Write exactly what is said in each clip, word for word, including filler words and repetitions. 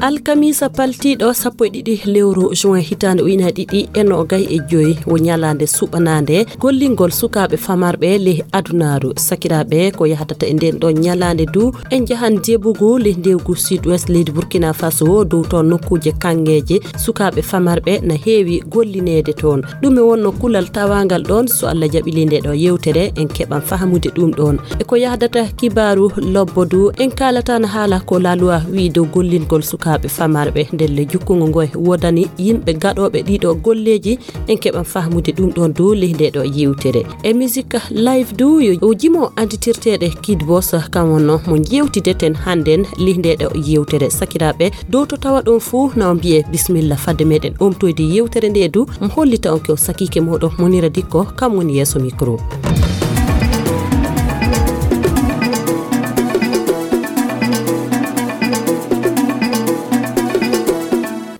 Alkamiisa paltiiɗo sappo e ɗiɗi lewru juin hitaande ujunaaji ɗiɗi e noogay e joy wo ñalaande suɓanaande gollingol sukaaɓe famarɓe ley adunaaru. Sakiraaɓe, ko yahdata e ndeen ɗoon ñalaande du, en njahan Jebugu ley ndewgu Sud-Ouest leydi Burkina Faso, dow toon nokkuuje kaŋŋeeje sukaaɓe famarɓe na heewi gollineede toon. Ɗum e wonno kulal tawaangal ɗoon, so Allah jaɓi ley ndee ɗo yewtere, en keɓan fahamude ɗum ɗoon. E ko yahdata kibaaru lobbo du, en kaalata na haala ko la loi wi'i dow gollingol sukaaɓe famarɓe. Ndelle jukkungo ngo e woodani yimɓe gaɗooɓe ɗiɗo golleeji, en keɓan fahamude ɗum ɗoon du ley ndee ɗo yewtere. E musique live du, yo o jimo anditirteeɗe Kid Boss, kam wonno mo jewtideten hannden ley ndee ɗo yewtere. Sakiraaɓe, dow to tawa ɗon fuu, na on mbiye bismilla fadde meɗen omtoyde yewtere nde du, mo hollita on ko sakiike moɗon Monira Dikko, kam woni yeeso micro.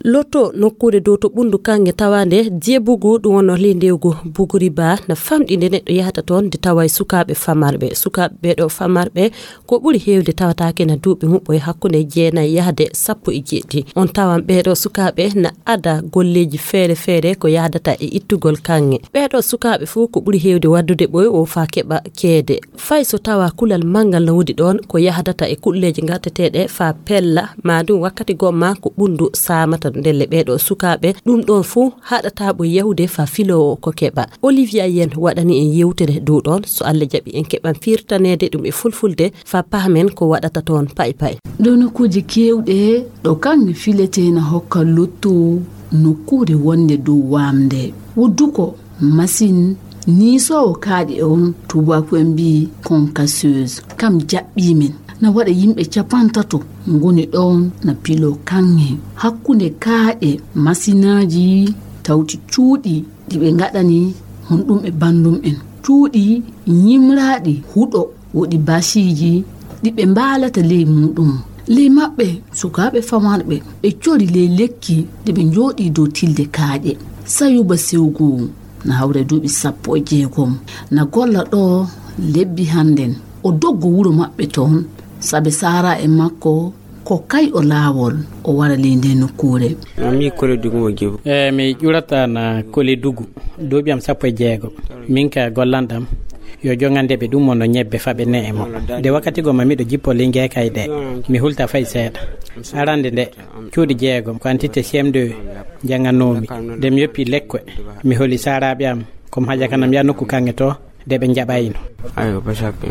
Lotto nokkuure dow to ɓunndu kaŋŋe tawaande Jebugu, ɗum wonno ley ndewgu Buguri Ba, na famɗi nde neɗɗo yahata toon nde tawa e sukaaɓe famarɓe. Sukaaɓe ɓee ɗo famarɓe ko ɓuri heewde tawataake na duuɓi muɓɓo e hakkunde jeenayi yahde sappo e jeeɗiɗi. On tawan ɓee ɗo sukaaɓe na ada golleeji feere feere ko yahdata e ittugol kaŋŋe. Ɓee ɗo sukaaɓe fuu ko ɓuri heewde waddude ɓoy o faa keɓa ceede. Fay so tawa kulal manngal no woodi ɗoon ko yahdata e kuɗleeji ngarteteeɗe faa pella, maa ɗum wakkati gomma ko ɓunndu saamata ndelle ɓee ɗo sukaaɓe, ɗum ɗoon fuu haɗata ɓoy yahude faa filoowo ko keɓa. Olivia Yen waɗani en yewtere dow ɗoon, so Allah jaɓi en keɓan firtaneede ɗum e fulfulde faa pahmen ko waɗata toon pay pay. Ɗo nokkuuje keewɗe ɗo kaŋŋe filetee na hokka lotto nokkuure wonnde dow waamnde. Wudduko masin niisoowo kaaƴe on, tuubaaku en mbi'i concasseuse, kam jaɓɓii men. Na waɗa yimɓe capantato ngoni ɗoon na piloo kaŋŋe. Hakkunde kaaƴe masinaaji tawti cuuɗi ɗi ɓe ngaɗani honɗum e banndum en. Cuuɗi ñimraaɗi huɗo woɗi basiiji ɗi ɓe mbaalata ley muuɗum. Ley maɓɓe, sukaaɓe famarɓe, ɓe cori ley lekki ɗi ɓe njooɗii dow tilde kaaƴe. Sayuba Sewgu na hawra duuɓi sappo e jeegom, na golla ɗo lebbi hannden. O doggo wuro maɓɓe toon, sabe saara e makko ko kay o laawol o wara ley ndee nokkuure. Mi kole dugu mo jebu. E mi ƴurata na kole dugu, duuɓi am sappo e jeego. Min ka gollanɗam yo jogande ɓe ɗum mo no ñebbe faɓe ne e mo. Nde wakkati goma miɗo jippo ley ngeekay ɗe, mi hulta fay seeɗa. Arande nde, cuuɗi jeegom, ko entité C M deux njannganoomi. Nde mi yoppi lekkoe, mi holi saaraaɓe am, ko mi haja kanam ya nokku kaŋŋe to, de ɓe njaɓayno. Ayo, basaɓe.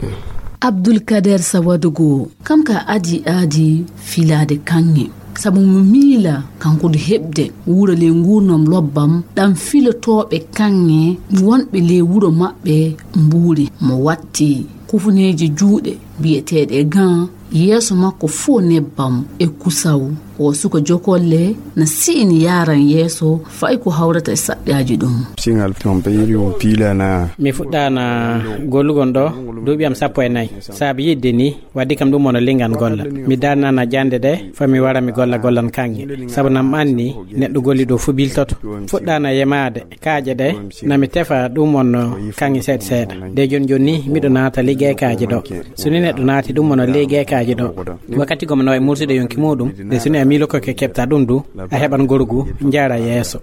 Abdul Kader Sawadugo, kam ka adi aadi filaade kaŋŋe. Sabu mo miila kanko du heɓde wuro ley nguurnam lobbam, ɗam filotooɓe kaŋŋe wonɓe ley wuro maɓɓe mbuuri mo watti kufuneeji juuɗe biyeteeɗe gants, yeeso makko fof nebbam e kusaw. O suka jokolle na si'ini yaaran yeeso fay ko hawrata e saɗɗaaji ɗum. Siŋal ton ɓe yiri on piilana. Mi fuɗɗaana gollugol ɗo duuɓi am sappo e nayi. Saabi yiɗde ni waddi kam ɗum wona lingan golla. Mi darnana jannde ɗe fa mi wara mi golla gollan kaŋŋe. Sabu nam anni neɗɗo golli ɗo fo biltoto. Fuɗɗaana yemaade kaaƴe ɗe na mi tefa ɗum wonno kaŋŋe seeɗa seeɗa. De jooni jooni ni miɗo naata liggey kaaƴe ɗo. So ni neɗɗo naati ɗum wonno liggey kaaƴe ɗo, wakkati goma no wawi mursude yonki muɗum. De so ni a miilo ko ke keɓta ɗum du, a heɓan gorgu jaara yeeso.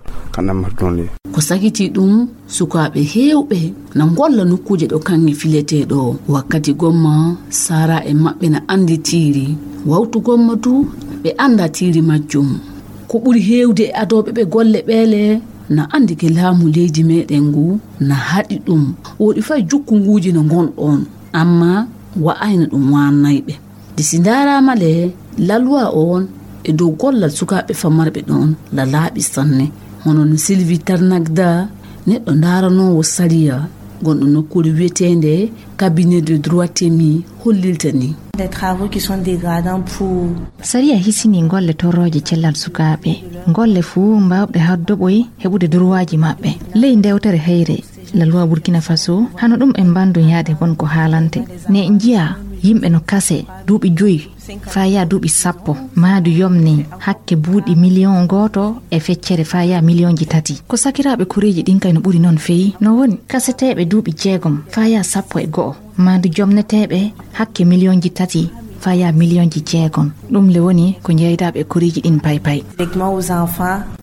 Ko sakitii ɗum, sukaaɓe heewɓe na ngolla nokkuuje ɗo kaŋŋe filetee ɗo. Wakkati gomma saara e maɓɓe na anndi tiiri. Wawtu gomma du ɓe annda tiiri majjum. Ko ɓuri heewde e adooɓe ɓe golle ɓeele na anndi ke laamu leydi meɗen ngu na haɗi ɗum. Woɗi fay jukkunguuji no ngon ɗon, amma wa'ayno ɗum waannay ɓe. De si ndaaraama le, la loi on e dow gollal sukaaɓe famarɓe ɗon la laaɓi sanne. Hono no Sylvie Tarnagda, neɗɗo ndaaranoowo sariya, gonɗo nokkuure wiyeteende cabinet de droit temi, hollirta ni. Des travaux qui sont dégradants pour. Sariya hisini golle torrooje cellal sukaaɓe. Golle fuu mbaawɓe haddoɓoy heɓude durwaaji maɓɓe. Ley ndewtere heyre, la loi Burkina Faso, hano ɗum en mbanndun yaade won ko haalante. Ne njiya yimɓe no kase duuɓi joyi faa yaa duuɓi sappo, maadu yomni hakke buuɗi miliyon gooto e feccere faa yaa miliyonji tati. Ko sakiraaɓe koreeji ɗin kay no ɓuri non feyi, no woni kaseteeɓe duuɓi jeegom faa yaa sappo e go'o, maadu jomneteeɓe hakke miliyonji tati Faya miliyonji jeegom. Ɗum le woni ko jeydaaɓe e koriiji ɗin paypay.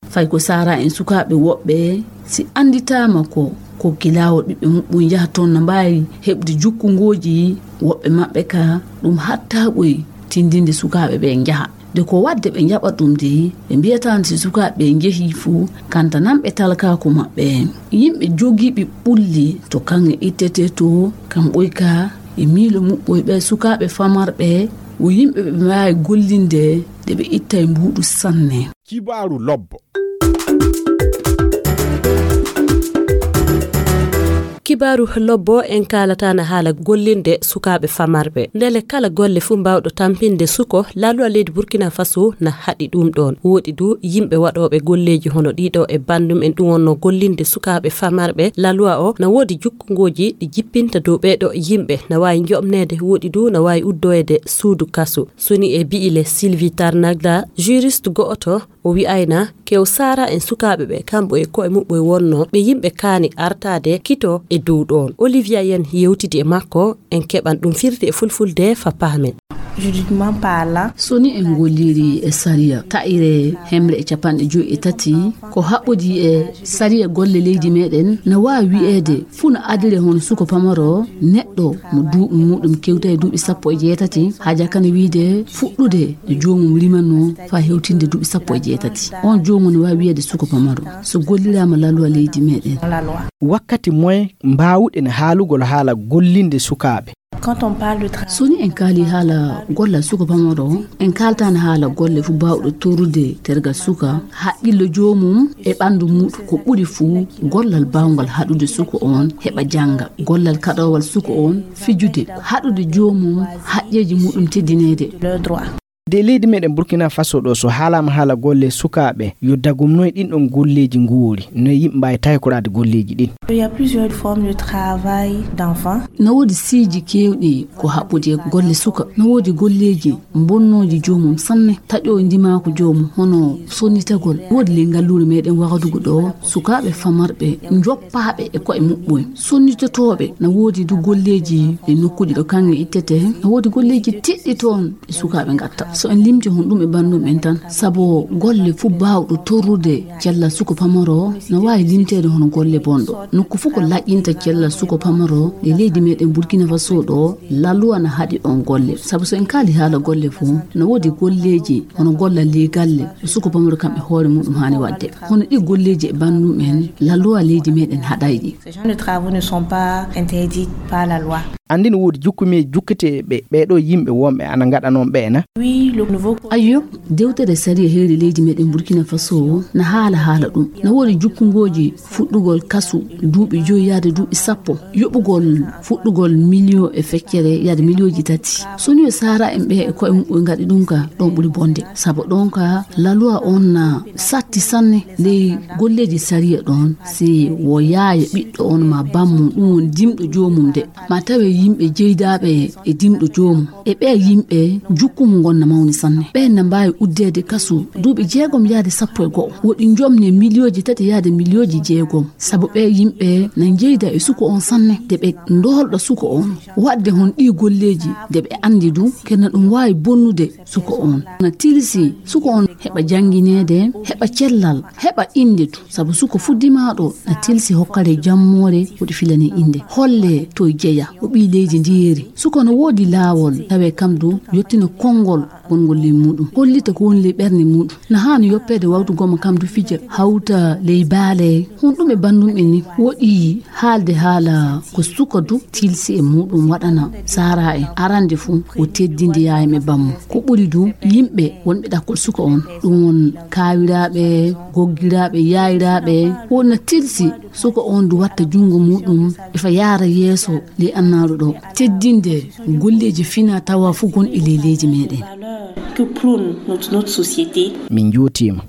Fay ko saara en sukaaɓe woɓɓe, si annditaama ko, ko gilaawol ɓiɓɓe muɓɓun yaha toon, na mbaawi heɓde jukkungooji woɓɓe maɓɓe ka, ɗum hatta ɓoy tindinde sukaaɓe ɓe njaha. De ko waɗde ɓe njaɓa ɗum de, ɓe mbiyataano si sukaaɓe ɓe njehii fu, kantananɓe talkaaku maɓɓe. Yimɓe jogiiɓe ɓulli to kaŋŋe ittetee to, kam ɓoy ka, e miilo muɓɓoy ɓe sukaaɓe famarɓe, wo yimɓe ɓe mbaawi gollinde de ɓe ittay mbuuɗu sanne. Kibaaru lobbo. Kibaaru lobbo en kaalataana haala gollinde sukaaɓe famarɓe. Ndele kala golle fuu mbaawɗo tampinde suko, laaluwa leydi Burkina Faso na haɗi ɗum ɗoon. Woodi du yimɓe waɗooɓe golleeji hono ɗiɗo e banndum en ɗum wonno gollinde sukaaɓe famarɓe. Laaluwa o na woodi jukkungooji ɗi jippinta dow ɓeeɗo yimɓe. Na waawi njoɓneede, woodi du na waawi uddoyeede suudu kaso. Soni e bi'ile Sylvie Tarnagda, juriste go'oto, o wi'ayna kew saara en sukaaɓe ɓe, kamɓe e ko'e muɓɓoy wonno ɓe yimɓe kaani artaade kito e dow ɗoon. Olivia Yen yewtidi e makko, en keɓan ɗum firti e fulfulde fa paamen. Juridiquement parlant. Soni en golliri e sariya, ta'ire hemre e capanɗe joyi e tati, ko haɓɓodi e sariya golle leydi meɗen, na waawi wi'eede fuu no adire hono suko pamaro, neɗɗo mo duuɓi muɗum kewta e duuɓi sappo e jeetati, haa jakana wiide fuɗɗude no joomum rimanno faa hewtinde duuɓi sappo e jeetati. On joomum no waawi wi'eede suko pamaro, so golliraama laaluwa leydi meɗen. Wakkati moye mbaawuɗen haalugol haala gollinde sukaaɓe? Quand on parle de tra- Soni en kaali haala gollal suka pamaro, en kaaltaani haala golle fuu baawɗo torrude tergal suka, haqqillo joomum e ɓanndu muɗum ko ɓuri fuu gollal baawngal haɗude suka on heɓa jannga, gollal kaɗoowal suka on fijude, haɗude joomum haqqeeji muɗum teddineede. Leurs droits. De leydi meɗen Burkina Faso ɗo, so haalaama haala golle sukaaɓe, yo dagum noye ɗin ɗon golleeji nguuri, noye yimɓe mbaawi taykoraade golleeji ɗin? Il y a plusieurs formes de travail d'enfant. Na woodi siiji keewɗi ko haɓɓodi e golle suka. Na woodi golleeji bonnooji joomum sanne, taƴooji ndimaaku joomum, hono sonnitagol. Woodi ley ngalluure meɗen Wagadugu ɗo, sukaaɓe famarɓe, njoppaaɓe e ko'e muɓɓoy. Sonnitotooɓe, na woodi du golleeji e nokkuuji ɗo kaŋŋe ittetee. Na woodi golleeji tiɗɗi toon. Ɓe sukaaɓe ngatta. So en limti hon ɗum e banndum en tan, sabo golle fuu baawɗo torrude cellal suko pamaro, na waawi limteede hono golle bonɗo. Nokku fuu ko laƴƴinta cellal suko pamaro, e leydi meɗen Burkina Faso ɗo, laluwa na haɗi ɗon golle. Sabo so en kaali haala golle fuu, na woodi golleeji hono gollal ley galle, ɗo suko pamaro kam e hoore muɗum haani waɗde. Hono ɗi golleeji e banndum en, laluwa leydi meɗen haɗay ɗi. Ces genres de travaux ne sont pas interdits par la loi. Anndin woodi jukkumeeji jukketeeɓe ɓee ɗoo yimɓe wonɓe ana ngaɗa noon ɓee na? Oui, le nouveau. Ayyo, dewtere sariya heeri leydi meɗen Burkina Faso na haala haala ɗum. Na woodi jukkungooji fuɗɗugol kasu duuɓi joyi yaade duuɓi sappo, yoɓugol fuɗɗugol miliyo e feccere yaade miliyooji tati. So ni o saara en ɓe e koye muɓɓoy ngaɗi ɗum ka, ɗon ɓuri bonde. Sabo ɗon ka laluwa on na satti sanne ley golleeji sariya ɗon. Si wo yaaya ɓiɗɗo on ma bammum, ɗum woni dimɗo joomum de, ma tawe yimɓe jeydaaɓe e dimɗo joomum. E ɓee yimɓe, jukkungu ngon na mawni sanne. Ɓeen na mbaawi uddeede kasu duuɓi jeegom yaade sappo e go'o. Woɗi njomne miliyooji tati yaade miliyooji jeegom. Sabu ɓee yimɓe na njeyda e suko on sanne, de ɓe ndoolɗa suko on. Waɗde hon ɗii golleeji, de ɓe anndi du, kena ɗum waawi bonnude suko on. Na tilsi suko on heɓa janngineede, heɓa cellal, heɓa innde du. Sabu suko fuddimaaɗo na tilsi hokkare jammoore woɗi filani innde. Holle to jeya, o ɓii leydi ndi yeeri. Suko no woodi laawol, tawe kam du, yottina konngol gongol ley muɗum. Hollita ko woni ley ɓernde muɗum. Na haani yoppeede wawtu goma kam du fija, hawta ley baale. Hon ɗum e banndum en ni, woɗi haalde haala ko suka du tilsi e muɗum waɗana saara en. Arande fuu, o teddinde yaayam e bammum. Ko ɓuri du, yimɓe wonɓe ɗakkol suka on. Ɗum won kaawiraaɓe, goggiraaɓe, yaayiraaɓe. Wonna tilsi suka on du watta junngo muɗum, e fa yaara yeeso ley annaaru ɗo. Teddinde golleeji fina tawa fuu gonɗi ley leydi meɗen. Que prône notre, notre société. Min njuutiima.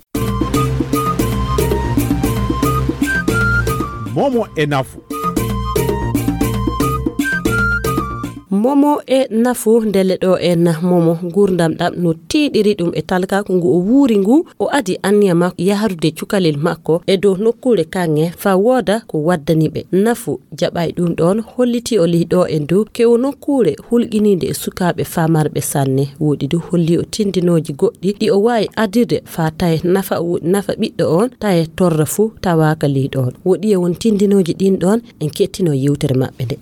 Momo e nafu. Momo e Nafu, ndelle ɗo en Momo, nguurndam ɗam no tiiɗiri ɗum e talkaaku ngu o wuuri ngu, o adi anniya makko yahrude cukalel makko e dow nokkuure kaŋŋe, faa wooda ko waddani ɓe. Nafu jaɓaay ɗum ɗoon, holliti o ley ɗo en dow kewo nokkuure hulɓiniinde e sukaaɓe famarɓe sanne. Woɗi du holli o tindinooji goɗɗi ɗi o waawi adirde faa taye nafa, nafa ɓiɗɗo on, taye torra fuu tawaaka ley ɗoon. Woɗi e won tindinooji ɗin ɗoon, en kettino yewtere maɓɓe nde.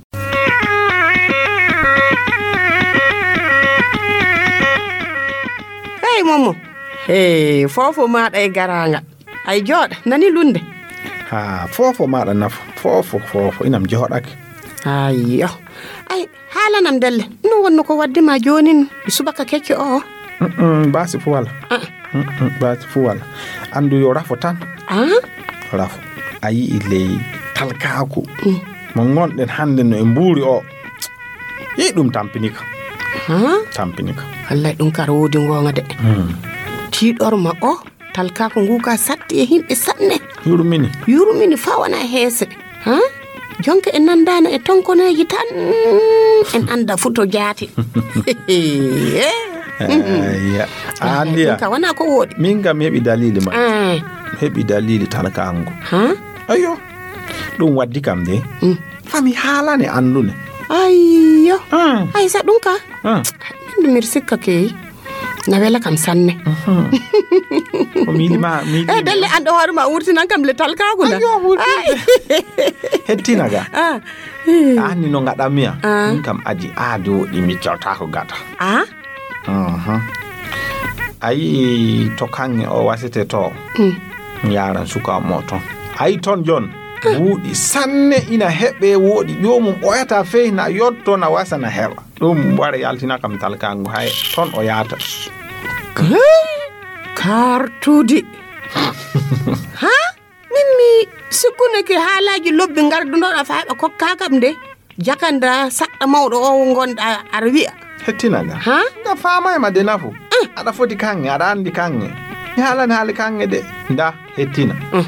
Hey, Momo. Hey, foofo maaɗa e garaangal. Ay, jooɗa, nani lunde? Ha, foofo maaɗa Nafu. Foofo, foofo, inam jooɗake. Ayyo. Ay, haalanam ndelle. No wonno ko waddi ma joonin subaka kecco o? Mm, mm, baasi fu wala. Ah. Mm, mm, baasi fu wala. Anndu yo rafo tan. Ah? Rafo. A yi'i ley talkaaku. Mm. Mo ngonɗen hannde no e mbuuri o. Yi'i ɗum tampinika. Ha? Tampinika. Wallay ɗum kara woodi ngoonga de. Mm. Tiiɗorma o, talkaaku ngu ka satti e himɓe sanne. Yurmini. Yurmini faa wona heese. Ha? Jonka en nanndaano e tonkoneeji tan, en annda fu to jaati. Eh. Ayya. Ah, Andiya. Ɗum ka wona ko woɗi. Min kam heɓi dalili ma. Ah. Heɓi dalili talkango. Ha? Ayyo. Ɗum waddi kam de. Mm. Fami haalane andune. Ayyo. Ah. Ay sa ɗum ka. Ah. Min mi sikka ke. Na wela kam sanne. Mhm. Ko miili ma, miili. Eh, dalle an ɗo hoore ma wurtinan kam le talkaagu na. Ayyo, wurtinde. Ay. Hettina ga. Ah. Anni no ngaɗammi ya. Ah. Min kam aji aadi woɗi mi cawtaako gata. Ah? Mhm. A yi'i to kaŋŋe o wasete to. Mm. Mi yaaran suka mo ton. A yi'i ton jon. Buuɗi sanne ina heɓe woɗi ƴoomum ɓoyata fey na yotto na wasa na heɓa. Ɗum wara yaltina kam talkango hay ton o yaata. Hey, kartudi. Ha? Min mi sikkuneke haalaaji lobbi ngardunoɗa faa heɓa kokkaa kam nde. Jakanda saɗɗa mawɗo o ngonɗa aɗa wi'a. Hettina nga. Ha? Nga faamaay ma de Nafu. Eh. Aɗa foti kaŋŋe, aɗa anndi kaŋŋe. Mi haalani haali kaŋŋe de. Nda, hettina. Mm.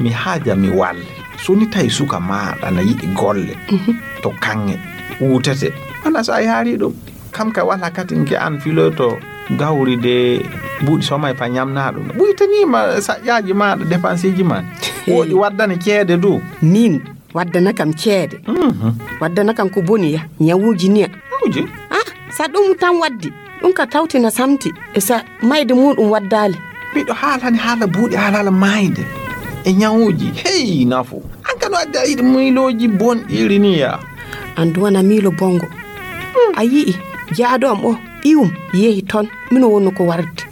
Mi haaja mi walle. So ni tawi suka maaɗa na yiɗi golle. Mhm. To kaŋŋe. Wutete. Wala so a yaari ɗum. Kam ka wala katin ke an filoto gawri de buuɗi somay pa ñamna ɗum. Ɓuytaniima saƴƴaaji maaɗa, dépenseeji ma. Woɗi waddane ceede du. Min. Waddana kam ceede. Mhm. Waddana kam ko boni ya, ñawuuji niya. Ñawuuji? Ah, sa ɗum tan waddi, ɗum ka tawti na samti, e sa mayde muɗum waddaali. Miɗo haalani haala buuɗi, haala haala maayde e ñawuuji. Hey, Nafu. An kan wadde a yiɗi miilooji bonɗi iri ni ya. An duwana miilo bongo. Hmm. A yi'i, jaaɗo am o, ɓiyum, yehi ton, mino wonno ko warde.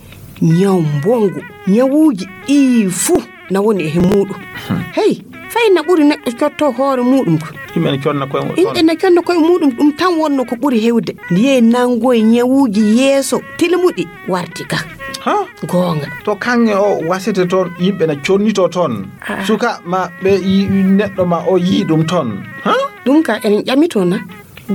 Ñaw mbongu, ñawuuji ɗi fuu. Na woni e muɗum. Hmm. Hey, fay na ɓuri neɗɗo cotto hoore muɗum ko. Yimɓe ne conna koye muɗum. Yimɓe ne conna koye muɗum, ɗum tan wonno ko ɓuri hewde. Ndiye nangoye ñawuuji yeeso tilmuɗi warti ka. Ha? Goonga. To kaŋŋe o wasete toon, yimɓe na connito toon. Ah. Suka ma ɓe yi-, neɗɗo ma o yii ɗum toon. Ha? Ɗum ka en ƴamito na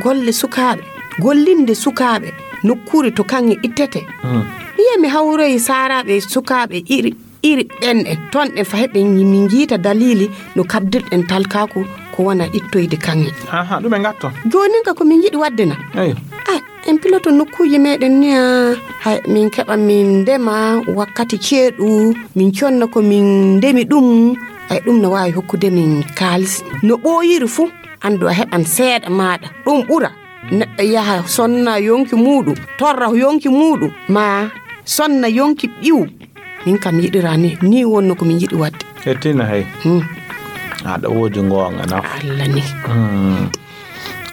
golle sukaaɓe, gollinde sukaaɓe, nokkuure to kaŋŋe ittete. Hmm. Wiye mi hawroyi saaraaɓe sukaaɓe iri iri ɓen en ton ɗen fa heɓe min njiita dalili no kabdirɗen talkaaku ko wona ittoyde kaŋŋe. Ha, ha, ɗum e ngatton. Joonin ka ko min yiɗi waɗde na? Eyo. Ah, en piloto nokkuuji meɗen ni, ah, hay min keɓa min ndema wakkati ceeɗu, min conna ko min ndemi ɗum, ay ɗum no waawi hokkude min kaalis. No ɓooyiri fuu, anndu a heɓan seeɗa maaɗa. Ɗum ɓura. Neɗɗo yaha sonna yonki muuɗum, torra yonki muuɗum, ma sonna yonki ɓiwu. Min kam yiɗira ni, ni wonno ko min yiɗi waɗde. Hettina hey. Hmm. Aɗa woodi ngoonga na. Allah ni. Hmm.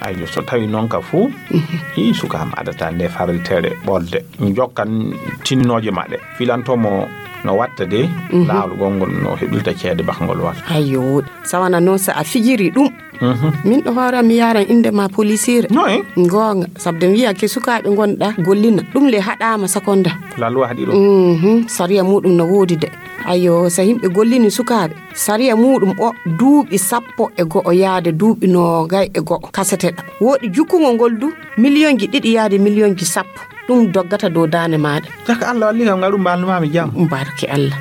Ayyo, so tawi noon ka fuu, mhm, i suka am adata nde farlitere ɓolde. Jokkan tinninooje maɗe. Filanto mo no watta de, mhm, laawol ngol no heɓirta ceede bakngol wata. Ayyo, sawana noon so a fijiri ɗum. Mhm. Min ɗo hoore am mi yaran innde ma polisiire. Noy? Goonga, sabde mi wiya ke sukaaɓe ngonɗa gollina. Ɗum le haɗaama sakonda. Lalluwa haɗi ɗum. Mhm. Sariya muɗum no woodi de. Ayo, so yimɓe gollini sukaaɓe, sariya muɗum o duuɓi sappo e go'o yaade duuɓi noogay e go'o kaseteɗa. Woodi jukkungol ngol du miliyonji ɗiɗi yaade miliyonji sappo. Ɗum doggata dow daande maaɗa. Jaka Allah walli kam ngaɗu mbalnuma mi jam. Barke Allah.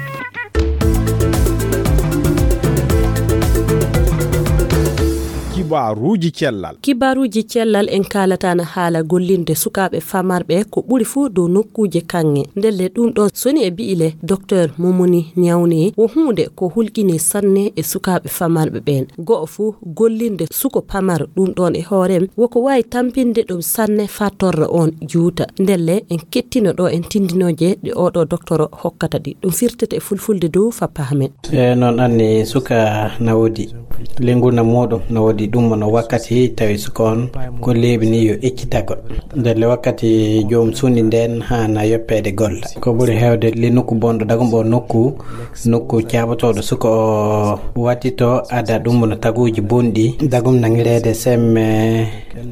Kibaaruuji cellal. Kibaaruuji cellal en kaalata na haala gollinde sukaaɓe famarɓe ko ɓuri fuu dow nokkuuje kaŋŋe. Ndelle ɗum ɗoon soni e bi'ile Doktor Momoni Ñawne wo huunde ko hulƴini sanne e sukaaɓe famarɓe ɓeen. Go'o fuu gollinde suko pamaro ɗum ɗoon e hoorem woko waawi tampinde ɗum sanne faa torra oon juuta. Ndelle en kettino ɗo en tindinooje ɗe oɗo doktoro hokkata ɗi. Ɗum firtete e fulfulde dow faa pahamen. E noon anni suka na woodi lenguna muuɗum na woodi ɗum no wakkati tawi suka on ko leeɓi ni yo eccitago. Ndelle wakkati joom sundi ndeen haana yoppeede golla. Ko ɓuri heewde le nokku bonɗo dagum o nokku, nokku caabotooɗo suka o wattito ada ɗum no taguuji bonɗi. Dagum nangireede semme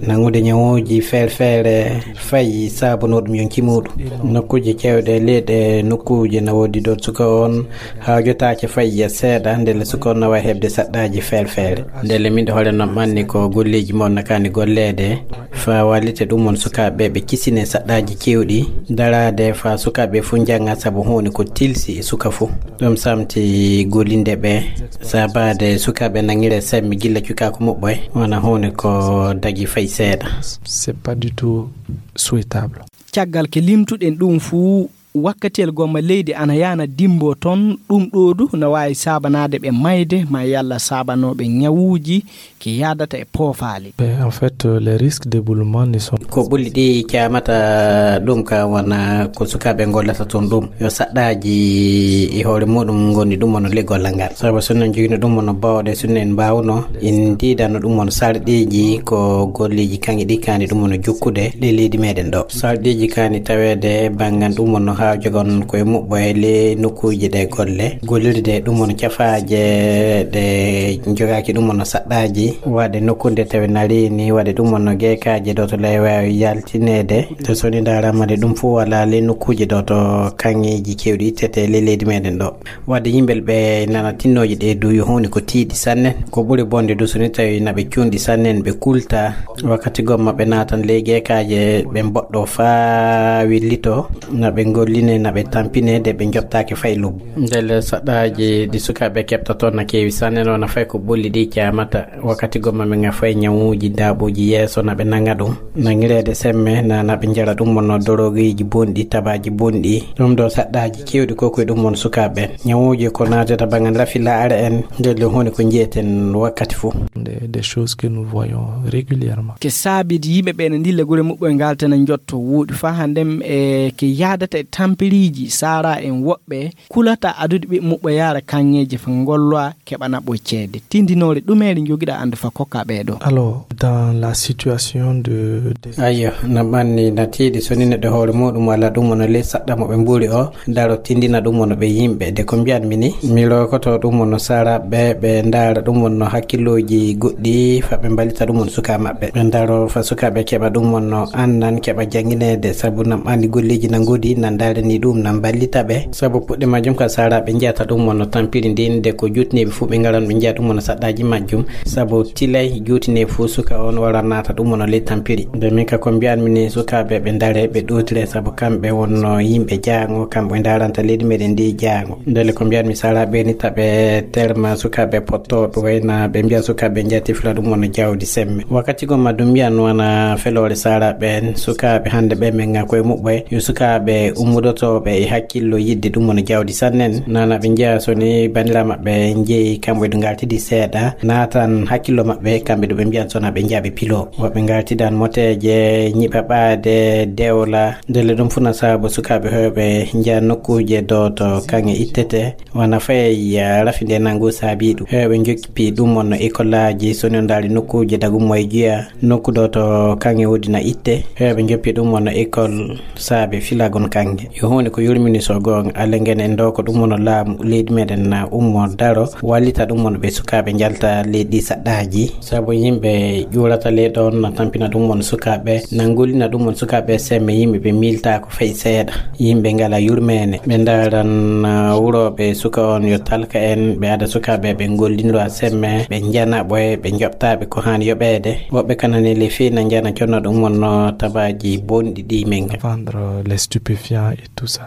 nangude ñawuuji feere-feere fayi saabunoo ɗum yonki muuɗum. Nokkuuje cewɗe leyɗe nokkuuje na woodi ɗoon suka on hawjotaake fayi seeɗa, ndelle suka on na waawi heɓde saɗɗaaji feere-feere. Ndelle min ɗo hoore noon ɓanni ko golleeji mon na kaani golleede, faa wallite ɗum on sukaaɓe ɓe kisine saɗɗaaji kewɗi, daraade faa sukaaɓe fuu njannga sabu huunde ko tilsi e suka fuu. Ɗum samti gollinde ɓe, saabaade sukaaɓe nangire sembe gilla cukaaku muɓɓoy, wona huunde ko dagi fay seeɗa. C'est pas du tout souhaitable. Caggal ke limtuɗen ɗum fuu, wakkatiyel gomma leydi ana yaana dimbo toon, ɗum ɗo du na waawi saabanaade ɓe mayde, ma yalla saabanooɓe ñawuuji ke yaadata e poofaali. Ben, en fait, euh, les risques d'éboulement ne sont Ko ɓulli ɗi caamata ɗum ka wona ko sukaaɓe gollata toon ɗum. Yo saɗɗaaji e hoore muɗum ngoni ɗum wona le gollal ngal. Sabu so en jogino ɗum wona bawɗe, so en mbawno, en ndiidano ɗum wona sarɗiiji ko golleeji kaŋŋe ɗi kaani ɗum wona jokkude le leydi meɗen ɗo. Sarɗiiji kaani taweede banngal ɗum wona haa jogon koye muɓɓo e le nokkuuji ɗe golle. Gollirde ɗum wona cafaaje ɗe jogaaki ɗum wona saɗɗaaji. Waɗde nokkunde tawi narini, waɗde ɗum wona geekaaje ɗo to lay waawi yaltineede. To soni ndaarama de ɗum fof wala le nokkuuji ɗo to kaŋŋeeji kewɗi ittete le leydi meɗen ɗo. Waɗde yimɓe ɓe nana tinnooji ɗe du yo huunde ko tiiɗi sanne. Ko ɓuri bonde du so ni tawi naɓe cuunɗi sanne ɓe kulta. Wakkati gomma ɓe naatan ley geekaaje ɓe mboɗɗo faa willito. Naɓe golline, naɓe tampine de ɓe njoɓtaake fay lobbu. Ndelle saɗɗaaji ɗi sukaaɓe keɓta toon na keewi sanne, no na fay ko ɓulli ɗi caamata. Wakkati gomma ɓe ngafa e ñawuuji daaɓuuji yeeso na ɓe nanga ɗum. Nangireede semme na, na ɓe njara ɗum wonno dorogiiji bonɗi, tabaaji bonɗi. Ɗum ɗo saɗɗaaji keewɗi ko koye ɗum won sukaaɓe ɓen. Ñawuuji ko naatata banngal rafi laare en, ndelle huunde ko njiyeten wakkati fof. Des, des choses que nous voyons régulièrement. Ke saabidi yimɓe ɓe ne ndilla gure muɓɓoye ngaltana njotto wooɗi faa hanndem e ke yaadata e tampiriiji saara en woɓɓe kulata adude ɓe muɓɓo yaara kaŋŋeeje fa ngolloa keɓana ɓoy ceede. Tindinoore ɗumeere njogiɗa annde fa kokka ɓee ɗo? Alors, dans la situation de, de Ayyo, na ɓanni na tiiɗi so ni neɗɗo hoore muɗum walla ɗum wona ley saɗɗa mo ɓe mbuuri o, daro tindina ɗum wona ɓe yimɓe. De ko mbiyan mi ni, mi rokoto ɗum wona saraɓe, ɓe ndaara ɗum wonno hakkillooji goɗɗi fa ɓe mballita ɗum won suka maɓɓe. Ɓe ndaro fa sukaaɓe keɓa ɗum wonno annan keɓa janngineede, sabu nan ɓanni golleeji na ngoodi, nan ndaarani ɗum, nan mballita ɓe. Sabu puɗɗe majjum ka saraɓe njiyata ɗum wonno tampiri ndin, de ko juutineeɓe fof ɓe ngaran ɓe njiya ɗum wonno saɗɗaaji majjum. Sabu tilay juutineeɓe fof suka on wara naata ɗum wonno ley tampiri. De min ka ko mbiyan mi ni sukaaɓe ɓe ndare ɓe ɗootire sabu kamɓe wonno yimɓe jaango, kamɓe ndaranta leydi meɗen ndi jaango. Ndelle ko mbiyan mi saraɓe ni taɓe terma sukaaɓe pottooɓe wayna ɓe mbiya sukaaɓe njati fila ɗum wonno jawdi semme. Wakkati gomma ɗum mbiyan wona feloore saraɓe en sukaaɓe hannde ɓe men nga koye muɓɓoye yo sukaaɓe ummudotooɓe e hakkillo yidde ɗum wona jawdi sannen. Nana ɓe njiya so ni bandira maɓɓe njeyi kamɓe ɗo ngaltidi seeɗa naatan hakkillo maɓɓe kamɓe ɗo ɓe mbiyan sona ɓe njiya ɓe pilo. Woɓɓe ngaltidan moteeje, ñiɓa ɓaade, dewla. Ndelle ɗum fof na sabu sukaaɓe hewɓe njiya nokkuuje do to kaŋŋe ittete. Wona fayi, eh, rafi nde nangu saabi ɗum. Hewɓe njoppi ɗum wonno école aji, so ni on ndaari nokkuuje dagum mo e juya, nokku do to kaŋŋe woodi na itte. Hewɓe njoppi ɗum wonno école saabe filagon kaŋŋe. Yo huunde ko yurmini so goonga, Alla ngenen ɗo ko ɗum wonno laamu leydi meɗen na ummo daro, wallita ɗum wonno ɓe sukaaɓe njalta leydi saɗɗaaji. Sabu yimɓe ƴuurata ley ɗon na tampina ɗum wonno sukaaɓe, na ngollina ɗum wonno sukaaɓe semme yimɓe ɓe miiltaako fay seeɗa. Yimɓe ngala yurmeene. Ɓe ndaaran, ah, wurooɓe suka on yo talka en, ɓe ada sukaaɓe ɓe ngollindira semme, ɓe njana ɓoye, ɓe njoɓtaɓe ko haani yoɓeede. Woɓɓe kanani le fii na njana conno ɗum wonno tabaaji bonɗi ɗi men nga. Vendre les stupéfiants et tout ça.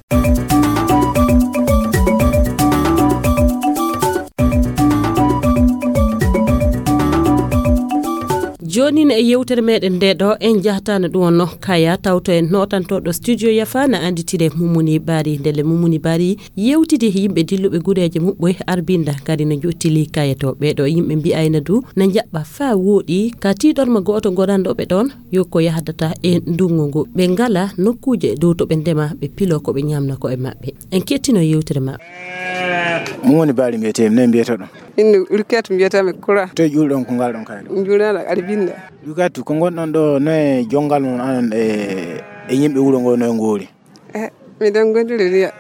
Jooni ne e yewtere meɗen nde ɗo, en jahtaano ɗum wonno Kaya, tawto en nootantooɗo studio Yafa na annditire Mummuni Bari. Ndelle Mummuni Bari yewtidi yimɓe dilluɓe gureeje muɓɓoy Arbinda, kadi no jottili Kaya to. Ɓee ɗo yimɓe mbi'ayna du na njaɓɓa faa wooɗi, ka tiiɗorma gooto ngonanɗo ɓe ɗon, yo ko yahdata e ndungu ngu. Ɓe ngala nokkuuje dow to ɓe ndema, ɓe pilo ko ɓe ñamna ko e maɓɓe. En kettino yewtere maɓɓe. Mummuni Bari mbiyetee, ne mbiyetoɗon? Inde Ulkiyatu mbiyetee mi Kura. Toy ƴuulɗon ko ngalɗon kayɗo? Njuulana Arbinda. Ulkiyatu, ko ngonɗon ɗo, no e jonngal mon anon e, e yimɓe wuro ngo, no e ngoori? Eh, miɗen gondiri riya.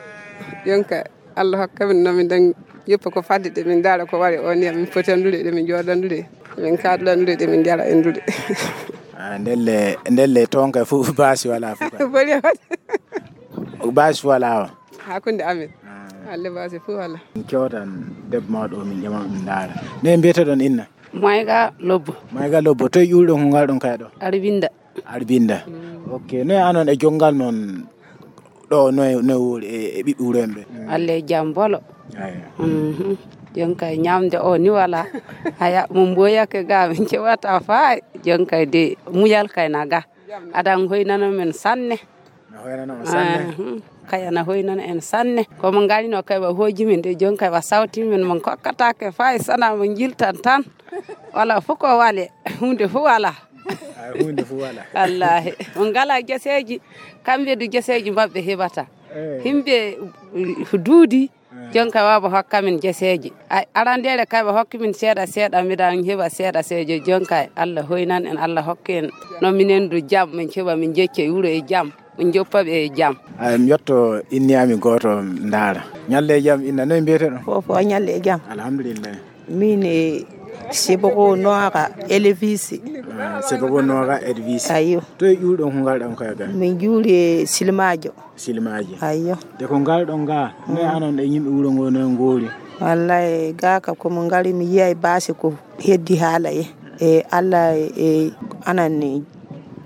Jonka, Allah hokka min no miɗen yoppa ko fadde ɗe min ndaara ko wari o niya min potandude ɗe min jooɗandude. Min kaɗlandude ɗe min njara endude. Ah, ndelle, ndelle toon kay fof baasi wala fof kay. Boni waɗde. Baasi wala o. Hakkunde amin. Ah. Alle baasi fof wala. Min cewtan debbo mawɗo o, min ƴama min ndaara. Ne mbiyetoɗon inna? Mayga Lobbo. Mayga Lobbo, toy ƴuulɗon ko ngalɗon kay ɗo? Arbinda. Arbinda. Ok, noy anon e jonngal mon ɗo, noy, noy wori e, e ɓiɓɓe wuro en ɓe? Alle jam bolo. Aya. Mhm. Jon kay ñamde o ni wala. Haya, mo mboyake ga, min cewata faay. Jon kay de, muyal kay na ga. Adan hoynano men sanne. No hoynano on sanne. Mhm. Kay ana hoynano en sanne. Ko mo ngarino kay wa hoji min de, jon kay wa sawti min, mo kokkatake faay sana mo jiltan tan. Wala fof ko wale, hunde fof wala. Ay, hunde fof wala. Wallahi. On ngala geseeji, kamɓe du geseeji maɓɓe heɓata. Eh. Himɓe, uh, duudi, eh, jonka waaba hokka min geseeji. Ay, arandeere kay ɓe hokki min seeɗa seeɗa, miɗa heɓa seeɗa seeɗa. Jonka Allah hoynan en, Allah hokki en. No minen du jam, min keɓa min jecca e wuro e jam. Min joppa ɓe e jam. Ay, mi yetto inni ami gooto ndaara. Ñalle e jam inna, noy mbiyete ɗon? Fof fof ñalle e jam. Alhamdulillah. Min e Siboko Noora Elvis. Ah, Siboko Noora Elvis. Ayyo. To e ƴuulɗon ko ngalɗon kay ga? Min juuli e Silmaajo. Silmaaji. Ayyo. De ko ngalɗon ga, ne, mm, anon e yimɓe wuro ngo no ngoori? Wallahi, ga ka ko mo ngari mi yiyay baasi ko heddi haala e. E Allah e anan ni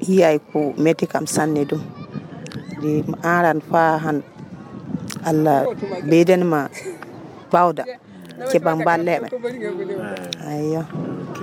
yiyay ko metti kam sanne ɗum. De aran fa han Allah beyden ma bawda. Keɓa mballeɓe. Ayyo. Ok,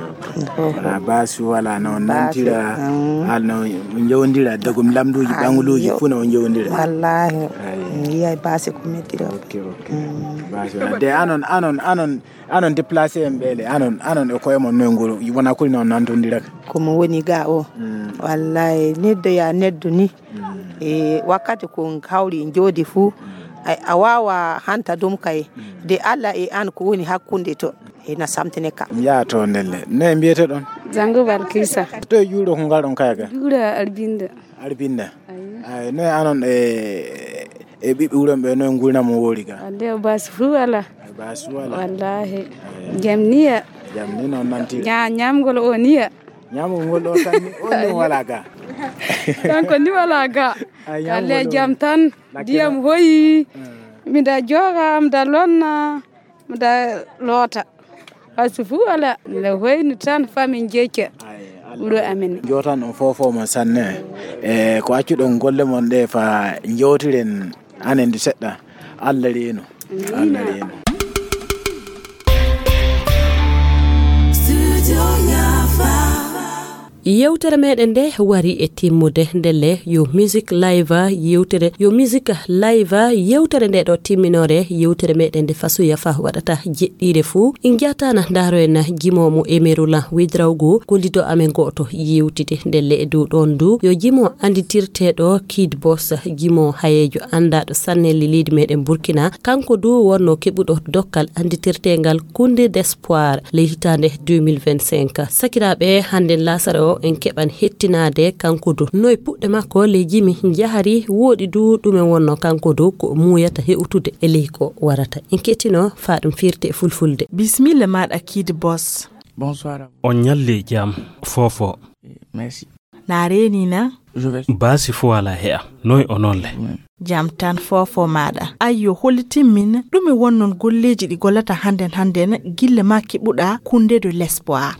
ok. Wala baasi, wala no nantira, mm, hal no njowndira, dagum lamduji, ayyo, ɓanguluji, fu no njowndira. Wallahi. Ayyo. Mi yiyay baasi ko mettira. Ok, ok. Mm. Baasi wala. De anon, anon, anon, anon déplacé en ɓeele, anon, anon e koye mon noy ngol, wona kuli noon nantondiraka. Ko mo woni ga o. Mm. Wallahi, neddo ya neddo ni. Mm. E wakkati ko hawri en joodi fuu, mm, a, a waawa hanta ɗum kay. Mm. De Allah e an ko woni hakkunde to, ena samtine ka. Mi yaha to ndelle. Ne mbiyete ɗon? Zango Balkisa. To e juuɗo ko ngal ɗon kay ga? Juuɗo Arbinda. Arbinda. Ayyo. Ay, noy anon e, e ɓiɓɓe wuron ɓe, noy ngurnam mo wori ga? Ande o baasi fuu wala. Ay, baasi wala. Wallahi. Ay. Jam niya. Jam ni noon nanti. Nya-, nyamgol o niya. Ñaamugol ɗo tan ni, on ni wala ga. Kanko ni wala ga. Ay, ñaamugol ɗo. Alle jam tan, lakkira. Ndiyam hoyi. Mm. Miɗa jooga, miɗa lonna, miɗa loota. Baasi fuu wala. Miɗa hoyni tan, fa min jecca. Ay, Allah. Wuro amen. Jootan on fof fof mon sanne. E ko accuɗon golle mon ɗe fa jewtiren anen du seɗɗa. Allah reeno. Allah reeno. Yewtere meɗen nde wari e timmude ndelle. Yo Music Live yewtere, yo Music Live yewtere nde ɗo timminore yewtere meɗen nde Faso Yafa waɗata jeɗɗire fuu. En jatana ndaro en jimo mo Emerula Widrawgo, gollido amen goto yewtide ndelle e dow ɗon du. Yo jimo anditirteɗo Kid Boss, jimo hayejo andaɗo sanne le leydi meɗen Burkina. Kanko du wonno keɓuɗo dokkal anditirtengal Kunde d'Espoir ley hitaande deux mille vingt-cinq. Sakiraaɓe, hannden laasara o en keɓan hettinaade kanko du. Noy puɗɗe makko ley jimi njahari, wooɗi du ɗumen wonno kanko du ko muuyata heɓutude e ley ko warata. En kettino faa ɗum firte e fulfulde. Bisimilla maaɗa Kid Boss. Bonsoir. On ñalli jam, Fofo. Merci. Na reeni na? Je vais. Baasi fuu alaa he'a. Noy onon le? Jam tan foofo maaɗa. Ayyo, hollitin min, ɗume wonnon golleeji ɗi gollata hannden hannden gille maa keɓuɗaa Kunde de l'Espoir?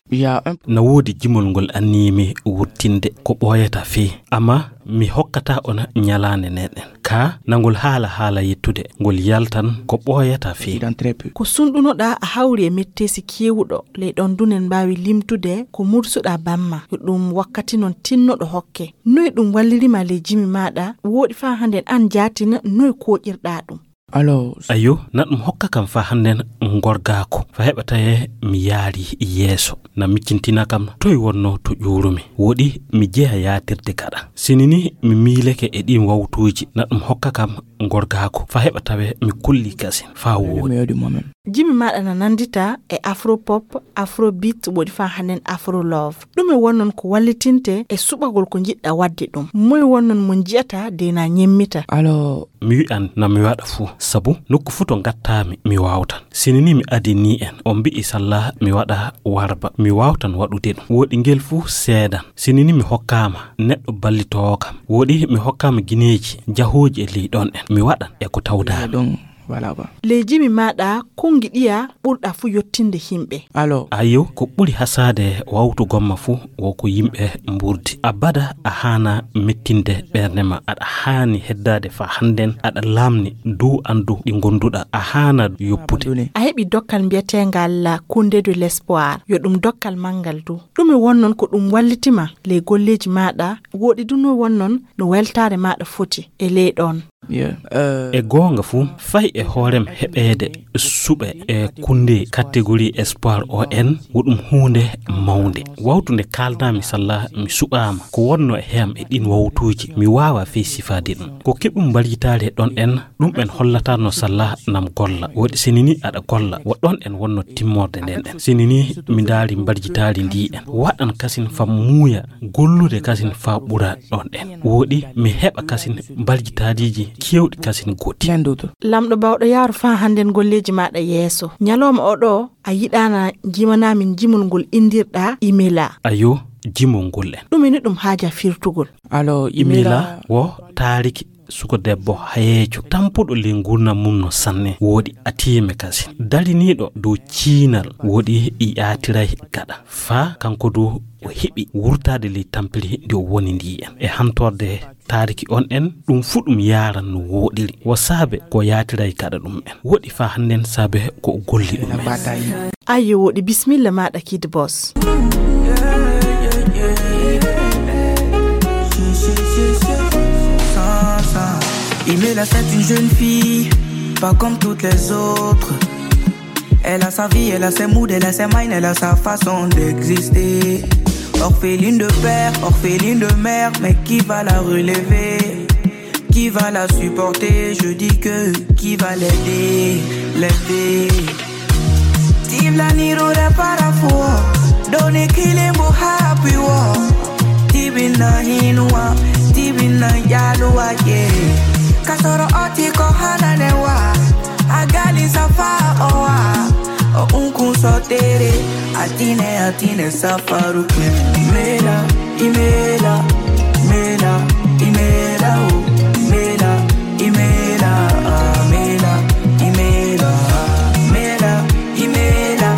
Na woodi jimol ngol anniyimi wuttinde ko ɓooyata fii, amma mi hokkata on ñalaande nden ɗen. Ka nangol haala haala yettude, ngol yaltan ko ɓooyata fii. Ko sunɗunoɗaa a hawri e metteesi keewuɗo, ley ɗon dunen mbaawi limtude ko mursuɗaa bamma, yo ɗum wakkati non tinnoɗo hokke. Noy ɗum wallirima ley jimi maaɗa, wooɗi faa hannden an jaatin noy kooƴirɗaa ɗum? Ayo, na ɗum hokka kam faa hannden ngorgaaku, faa heɓa tawee mi yaari yeeso. Na miccintina kam toy wonno to ƴuurumi. Wooɗi mi jeya yaatirde gaɗa. Sinini mi miileke e ɗiin wawtuuji, na ɗum hokka kam ngorgaaku, faa heɓa tawee mi kulli kasin faa wooɗi. Jimi maaɗa na nanndita e afropop, afrobeat, wooɗi faa hannden afrolove. Ɗume wonnon ko wallitinte e suɓagol ko njiɗɗa waɗde ɗum? Moy wonnon mo nji'ata de na ñemmita? Mi wi'an na mi waɗa fuu, sabu nokku fuu to ngattaami mi waawtan. Sinini mi adinii en, on mbi'i salla mi waɗa warba, mi waawtan waɗude ɗum. Wooɗi ngel fuu seedan. Sinini mi hokkaama neɗɗo ballitoowo kam. Wooɗi mi hokkaama gineeji jahooji e ley ɗon ɗen. Mi waɗan e ko tawdaami. Ley jimi maaɗa, konngi ɗiya ɓurɗa fuu yottinde yimɓe? Ayo, ko ɓuri hasaade wawtu gomma fuu wo ko yimɓe mburdi. Abada a haana mettinde ɓernde ma. Aɗa haani heddaade faa hannden aɗa laamni dow anndu ɗi ngonduɗa. A haana yoppude. A heɓi dokkal mbiyeteengal Kunde de l'Espoir. Yo ɗum dokkal manngal du. Ɗume wonnon ko ɗum wallitima ley golleeji maaɗa, wooɗi du no wonnon no weltaare maaɗa foti e ley ɗon? E goonga fuu, fay e hoorem heɓeede suɓe e kunde catégorie espoir O N, wo ɗum huunde mawnde. Wawtu nde kaaldaami salla mi suɓaama, ko wonno e heyam e ɗiin wawtuuji, mi waawaa fey sifaade ɗum. Ko keɓum mbarjitaare ɗon ɗen, ɗum en hollataa no salla nam golla. Wooɗi sinini aɗa golla, wo ɗon en wonno timmorde nden ɗen. Sinini mi ndaari mbarjitaari ndi en. Waɗan kasin faa muuya, gollude kasin faa ɓura ɗon ɗen. Wooɗi mi heɓa kasin mbarjitaariiji keewɗi kasin goɗɗi. Lamɗo baawɗo yaaru faa hannden golleeji maaɗa yeeso. Ñalooma oo ɗoo a yiɗaana jimanaa min jimol ngol inndirɗaa Imela. Ayo, jimol ngol en. Ɗume ni ɗum haaja firtugol? Imela wo taariki suko debbo hayeejo, tampuɗo ley nguurndam mum no sanne, wooɗi atiime kasin. Dariniiɗo dow ciinal, wooɗi yaatiray gaɗa. Faa kanko du o heɓi wurtaade ley tampiri ndi o woni ndi en. E hantorde taariki on en, ɗum fuu ɗum yaaran no wooɗiri. Wo saabe ko yaatiray gaɗa ɗum en. Wooɗi faa hannden saabe ko o golli ɗum en. Ayyo, wooɗi, bismilla maaɗa, Kid Boss. Imela, c'est une jeune fille, pas comme toutes les autres. Elle a sa vie, elle a ses moods, elle a ses minds, elle a sa façon d'exister. Orpheline de père, orpheline de mère, mais qui va la relever? Qui va la supporter? Je dis que qui va l'aider, l'aider? Tibla niro da para fuo, doni kilimbo happy wo. Tibina hinua, tibina yalua ye. Kasoro oti ko hananewa, agali safa owa. O unkun sotere, atine, atine safaru. Imela, Imela, Imela, Imela, oh, Imela, Imela, Imela, Imela, Imela,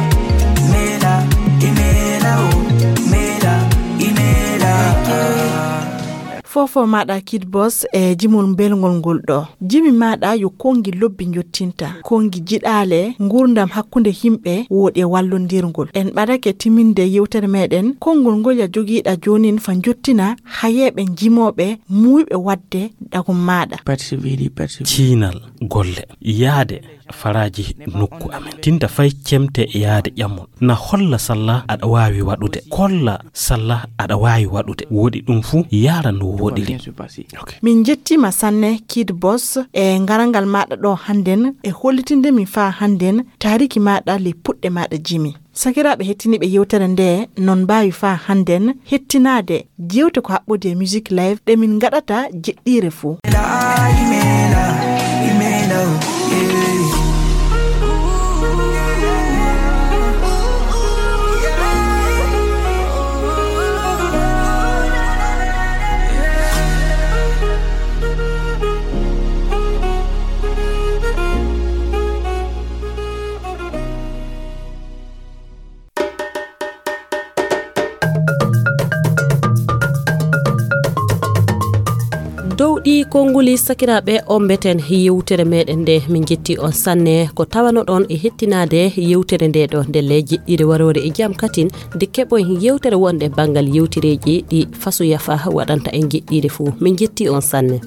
Imela, Imela, oh, Imela, Imela, ah. Foofo maaɗa, Kid Boss, e jimol mbelngol ngol ɗoo. Jimi maaɗa yo konngi lobbi njottinta, konngi jiɗaale, nguurndam hakkunde yimɓe, wooɗi e wallondirngol. En ɓadake timminde yewtere meɗen, konngol ngol ya jogiiɗa joonin fa njottina hayeeɓe jimooɓe muuyɓe waɗde dagum maaɗa. Ciinal golle, yaade faraaji nokku amen. Tinta fay cemte yaade ƴamol. Na holla salla aɗa waawi waɗude. Kolla salla aɗa waawi waɗude. Wooɗi ɗum fuu yaara no wooɗiri. Min njettiima sanne, Kid Boss, e ngarangal maaɗa ɗo hannden, e hollitinde min faa hannden taariki maaɗa ley puɗɗe maaɗa jimi. Sakiraaɓe hettiniiɓe yewtere nde, non mbaawi faa hannden hettinaade jewte ko haɓɓodi e Music Live ɗe min ngaɗata jeɗɗiire fuu. Ɗi konnguli, sakiraaɓe, ombeten yewtere meɗen nde. Min njetti on sanne ko tawano ɗon e hettinaade yewtere nde ɗo. Ndelle jiɗɗiire waroore e jam katin, nde keɓoy yewtere wonde banngal yewtereeji ɗi Faso Yafa waɗanta en jiɗɗiire fuu. Min njetti on sanne.